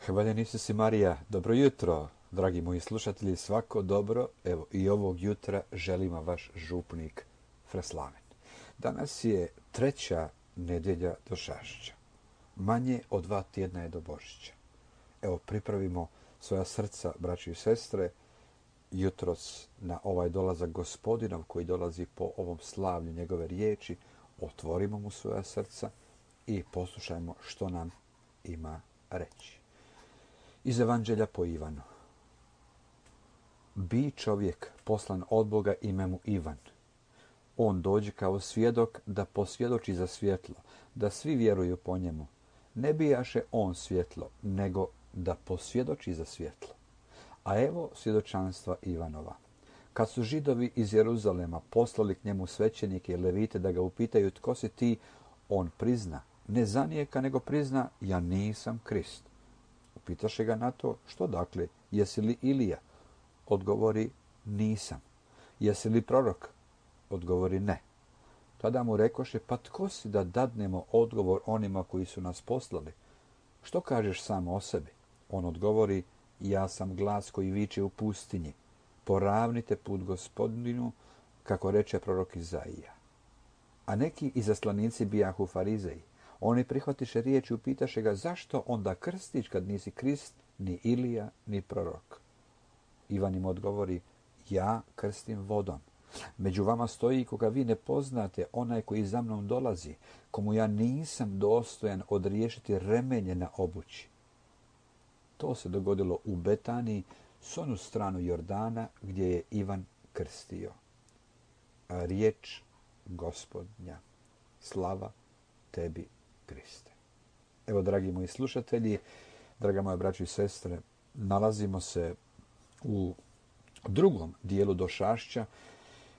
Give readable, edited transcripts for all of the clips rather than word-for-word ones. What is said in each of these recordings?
Hvaljeni si Marija, dobro jutro, dragi moji slušatelji, svako dobro, evo i ovog jutra želimo vaš župnik Freslamen. Danas je 3. nedjelja Došašća, manje od 2 tjedna je do Božića. Evo pripravimo svoja srca, braći i sestre, jutros na ovaj dolazak Gospodinov koji dolazi po ovom slavlju njegove riječi, otvorimo mu svoja srca i poslušajmo što nam ima reći. Iz Evanđelja po Ivanu. Bi čovjek poslan od Boga ime mu Ivan. On dođe kao svjedok da posvjedoči za svjetlo, da svi vjeruju po njemu. Ne bijaše on svjetlo, nego da posvjedoči za svjetlo. A evo svjedočanstva Ivanova. Kad su Židovi iz Jeruzalema poslali k njemu svećenike i levite da ga upitaju tko si ti, on prizna, ne zanijeka nego prizna, ja nisam Krist. Upitaše ga na to, što dakle, jesi li Ilija? Odgovori, nisam. Jesi li prorok? Odgovori, ne. Tada mu rekoše, pa tko si da dadnemo odgovor onima koji su nas poslali? Što kažeš sam o sebi? On odgovori, ja sam glas koji viče u pustinji. Poravnite put Gospodinu, kako reče prorok Izaija. A neki izaslanici bijahu farizeji. Oni prihvatiše riječ i upitaše ga, zašto onda krstiš kad nisi Krist, ni Ilija, ni prorok? Ivan im odgovori, ja krstim vodom. Među vama stoji koga vi ne poznate, onaj koji za mnom dolazi, komu ja nisam dostojan odriješiti remenje na obući. To se dogodilo u Betaniji, s onu stranu Jordana, gdje je Ivan krstio. A riječ Gospodnja. Slava tebi, Kriste. Evo, dragi moji slušatelji, draga moja braćo i sestre, nalazimo se u drugom dijelu Došašća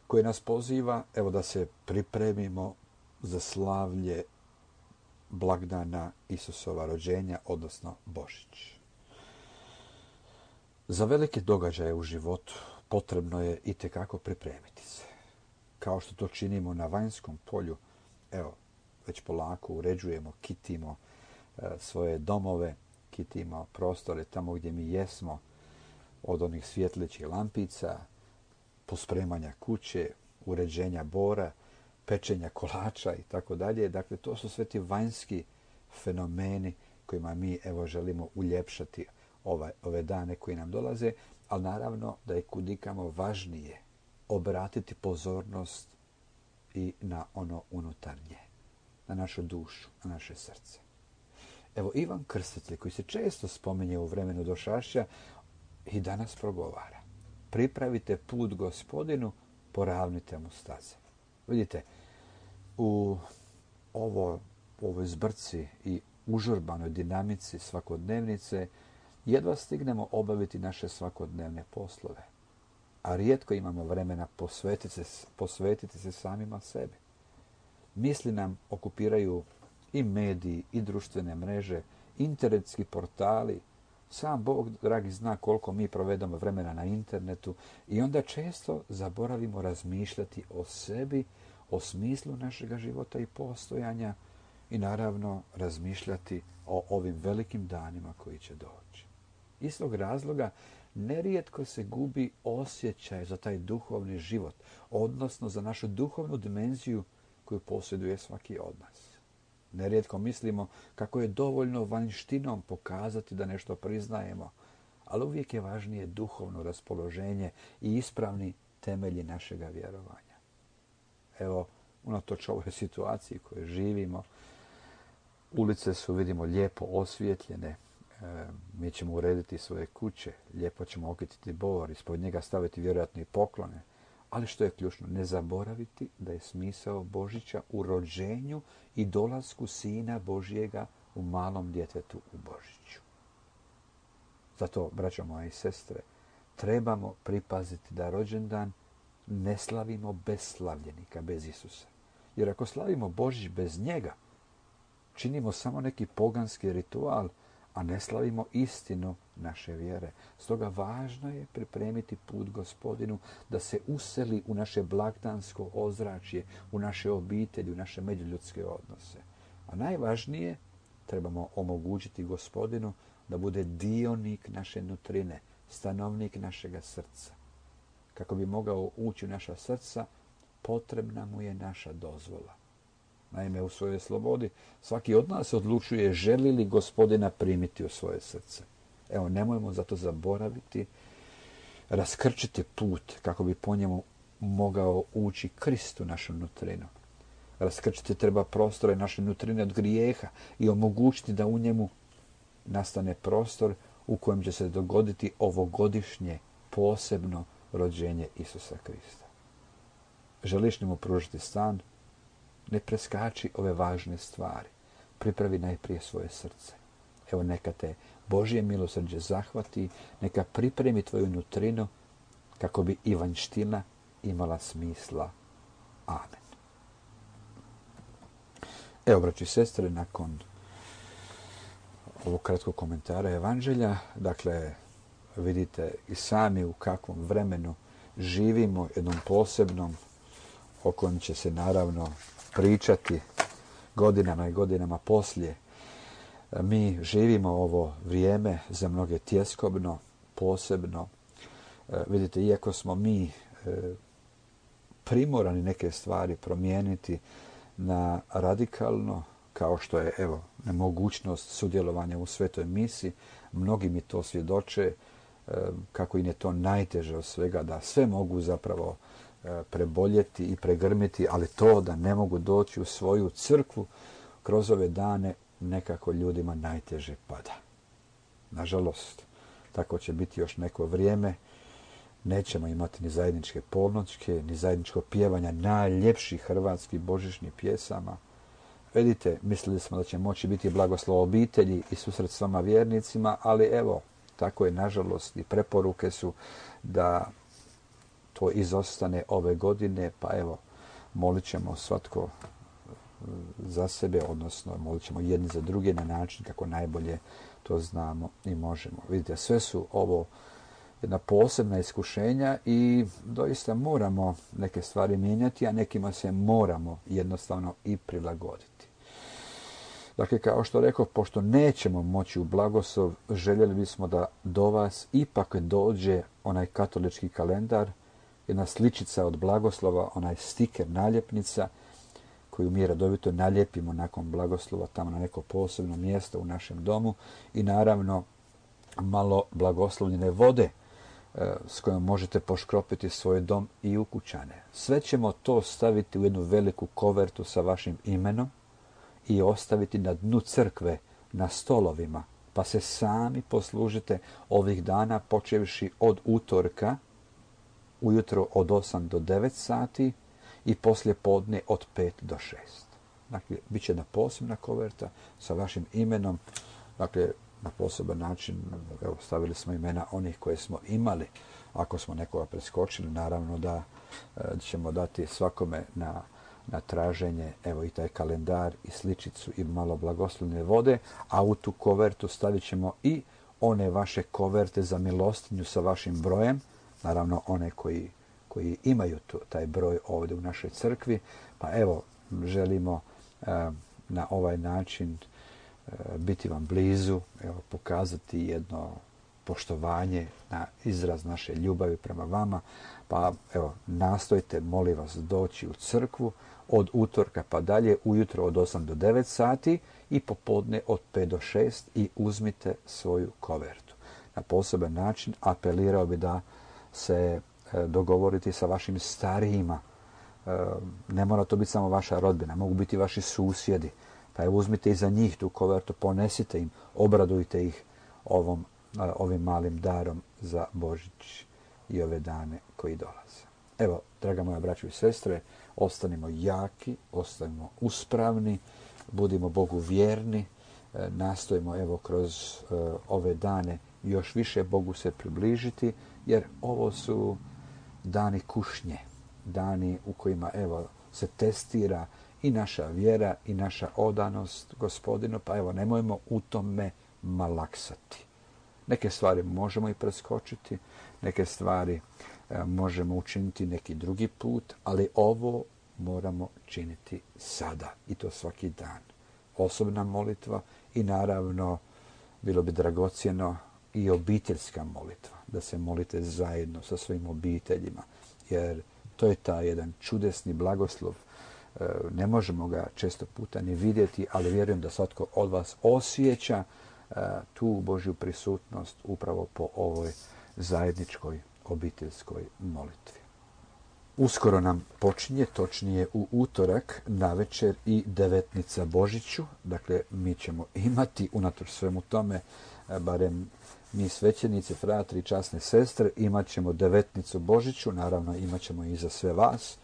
koji nas poziva, evo, da se pripremimo za slavlje blagdana Isusova rođenja, odnosno Božić. Za velike događaje u životu potrebno je itekako pripremiti se. Kao što to činimo na vanjskom polju, evo, već polako uređujemo, kitimo svoje domove, kitimo prostore tamo gdje mi jesmo, od onih svjetlećih lampica, pospremanja kuće, uređenja bora, pečenja kolača i tako dalje. Dakle, to su sve ti vanjski fenomeni kojima mi evo želimo uljepšati ove dane koji nam dolaze, ali naravno da je kudikamo važnije obratiti pozornost i na ono unutarnje, na našu dušu, na naše srce. Evo, Ivan Krstitelj, koji se često spominje u vremenu Došašća, i danas progovara. Pripravite put Gospodinu, poravnite mu staze. Vidite, u ovoj zbrci i užurbanoj dinamici svakodnevnice jedva stignemo obaviti naše svakodnevne poslove. A rijetko imamo vremena posvetiti se samima sebi. Misli nam okupiraju i mediji, i društvene mreže, internetski portali. Sam Bog, dragi, zna koliko mi provedemo vremena na internetu i onda često zaboravimo razmišljati o sebi, o smislu našega života i postojanja i naravno razmišljati o ovim velikim danima koji će doći. Iz tog razloga nerijetko se gubi osjećaj za taj duhovni život, odnosno za našu duhovnu dimenziju koju posjeduje svaki od nas. Nerijetko mislimo kako je dovoljno vanjštinom pokazati da nešto priznajemo, ali uvijek je važnije duhovno raspoloženje i ispravni temelji našega vjerovanja. Evo, unatoč ovoj situaciji u kojoj živimo, ulice su, vidimo, lijepo osvjetljene, mi ćemo urediti svoje kuće, lijepo ćemo okititi bor, ispod njega staviti vjerojatno i poklone, ali što je ključno, ne zaboraviti da je smisao Božića u rođenju i dolasku Sina Božjega u malom djetetu u Božiću. Zato, braćo moje i sestre, trebamo pripaziti da rođendan ne slavimo bez slavljenika, bez Isusa. Jer ako slavimo Božić bez njega, činimo samo neki poganski ritual, a ne slavimo istinu naše vjere. Stoga važno je pripremiti put Gospodinu da se useli u naše blagdansko ozračje, u naše obitelji, u naše međuljudske odnose. A najvažnije, trebamo omogućiti Gospodinu da bude dionik naše nutrine, stanovnik našega srca. Kako bi mogao ući u naša srca, potrebna mu je naša dozvola. Naime, u svojoj slobodi svaki od nas odlučuje želi li Gospodina primiti u svoje srce. Evo, nemojmo zato zaboraviti, raskrčiti put kako bi po njemu mogao ući Krist u našu nutrinu. Raskrčiti treba prostore naše nutrine od grijeha i omogućiti da u njemu nastane prostor u kojem će se dogoditi ovogodišnje posebno rođenje Isusa Krista. Želiš li mu pružiti stan? Ne preskači ove važne stvari. Pripravi najprije svoje srce. Evo, neka te Božje milosrđe zahvati, neka pripremi tvoju nutrinu kako bi i vanjština imala smisla. Amen. Evo, braći i sestre, nakon ovog kratkog komentara Evanđelja, dakle, vidite i sami u kakvom vremenu živimo, jednom posebnom, o kojem će se naravno pričati godinama i godinama poslije. Mi živimo ovo vrijeme za mnoge tjeskobno, posebno. Vidite, iako smo mi primorani neke stvari promijeniti na radikalno, kao što je evo nemogućnost sudjelovanja u svetoj misi, mnogi mi to svjedoče kako im je to najteže od svega, da sve mogu zapravo preboljeti i pregrmiti, ali to da ne mogu doći u svoju crkvu kroz ove dane nekako ljudima najteže pada. Nažalost, tako će biti još neko vrijeme. Nećemo imati ni zajedničke polnoćke, ni zajedničko pjevanja najljepših hrvatskih božićnih pjesama. Vidite, mislili smo da će moći biti blagoslov obitelji i susret s vama vjernicima, ali evo, tako je nažalost i preporuke su da to izostane ove godine, pa evo, molit ćemo svatko za sebe, odnosno molit ćemo jedni za druge na način kako najbolje to znamo i možemo. Vidite, sve su ovo jedna posebna iskušenja i doista moramo neke stvari mijenjati, a nekima se moramo jednostavno i prilagoditi. Dakle, kao što rekao, pošto nećemo moći u blagoslov, željeli bismo da do vas ipak dođe onaj katolički kalendar, jedna sličica od blagoslova, onaj stiker, naljepnica, koju mi redovito naljepimo nakon blagoslova tamo na neko posebno mjesto u našem domu i naravno malo blagoslovljene vode s kojom možete poškropiti svoj dom i ukućane. Sve ćemo to staviti u jednu veliku kovertu sa vašim imenom i ostaviti na dnu crkve, na stolovima, pa se sami poslužite ovih dana počevši od utorka, ujutro od 8 do 9 sati i poslije podne od 5 do 6. Dakle, bit će jedna posebna koverta sa vašim imenom, dakle, na poseban način, evo, stavili smo imena onih koje smo imali. Ako smo nekoga preskočili, naravno da ćemo dati svakome na traženje, evo, i taj kalendar i sličicu i malo blagoslovne vode, a u tu kovertu stavit ćemo i one vaše koverte za milostinju sa vašim brojem, naravno one koji imaju taj broj ovdje u našoj crkvi, pa evo, želimo na ovaj način biti vam blizu, evo, pokazati jedno poštovanje na izraz naše ljubavi prema vama, pa evo, nastojte, molim vas, doći u crkvu od utorka pa dalje, ujutro od 8 do 9 sati i popodne od 5 do 6 i uzmite svoju kovertu. Na poseban način apelirao bi da se dogovoriti sa vašim starijima. Ne mora to biti samo vaša rodbina, mogu biti vaši susjedi. Pa evo, uzmite i za njih tu kovertu, ponesite im, obradujte ih ovim malim darom za Božić i ove dane koji dolaze. Evo, draga moja braćo i sestre, ostanimo jaki, ostanimo uspravni, budimo Bogu vjerni, nastojimo evo kroz ove dane još više Bogu se približiti, jer ovo su dani kušnje, dani u kojima evo se testira i naša vjera i naša odanost Gospodinu, pa evo, nemojmo u tome malaksati. Neke stvari možemo i preskočiti, neke stvari možemo učiniti neki drugi put, ali ovo moramo činiti sada i to svaki dan. Osobna molitva i naravno bilo bi dragocjeno i obiteljska molitva, da se molite zajedno sa svojim obiteljima, jer to je taj jedan čudesni blagoslov. Ne možemo ga često puta ni vidjeti, ali vjerujem da svatko od vas osjeća tu Božju prisutnost upravo po ovoj zajedničkoj obiteljskoj molitvi. Uskoro nam počinje, točnije u utorak navečer i devetnica Božiću. Dakle, mi ćemo imati, unatoč svemu tome, barem mi svećenici, fratri i časne sestre, imat ćemo devetnicu Božiću, naravno imat ćemo i za sve vas.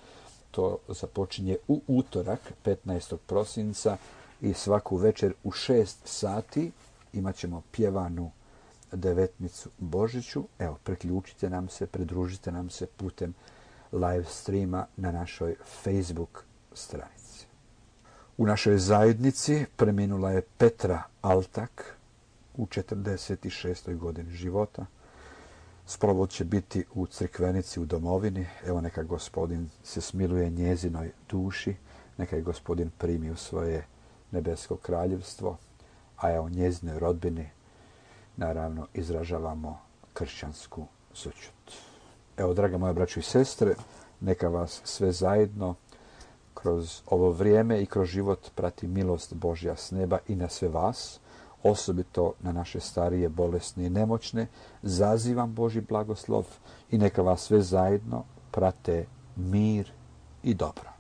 To započinje u utorak, 15. prosinca, i svaku večer u 6 sati imat ćemo pjevanu devetnicu Božiću. Evo, priključite nam se, pridružite nam se putem live streama na našoj Facebook stranici. U našoj zajednici preminula je Petra Altak u 46. godini života. Sprovod će biti u crkvenici u domovini. Evo, neka Gospodin se smiluje njezinoj duši, neka je Gospodin primi u svoje nebesko kraljevstvo, a evo njezinoj rodbini naravno izražavamo kršćansku sućut. Evo, draga moja braćo i sestre, neka vas sve zajedno kroz ovo vrijeme i kroz život prati milost Božja s neba i na sve vas, osobito na naše starije, bolesne i nemoćne. Zazivam Božji blagoslov i neka vas sve zajedno prate mir i dobro.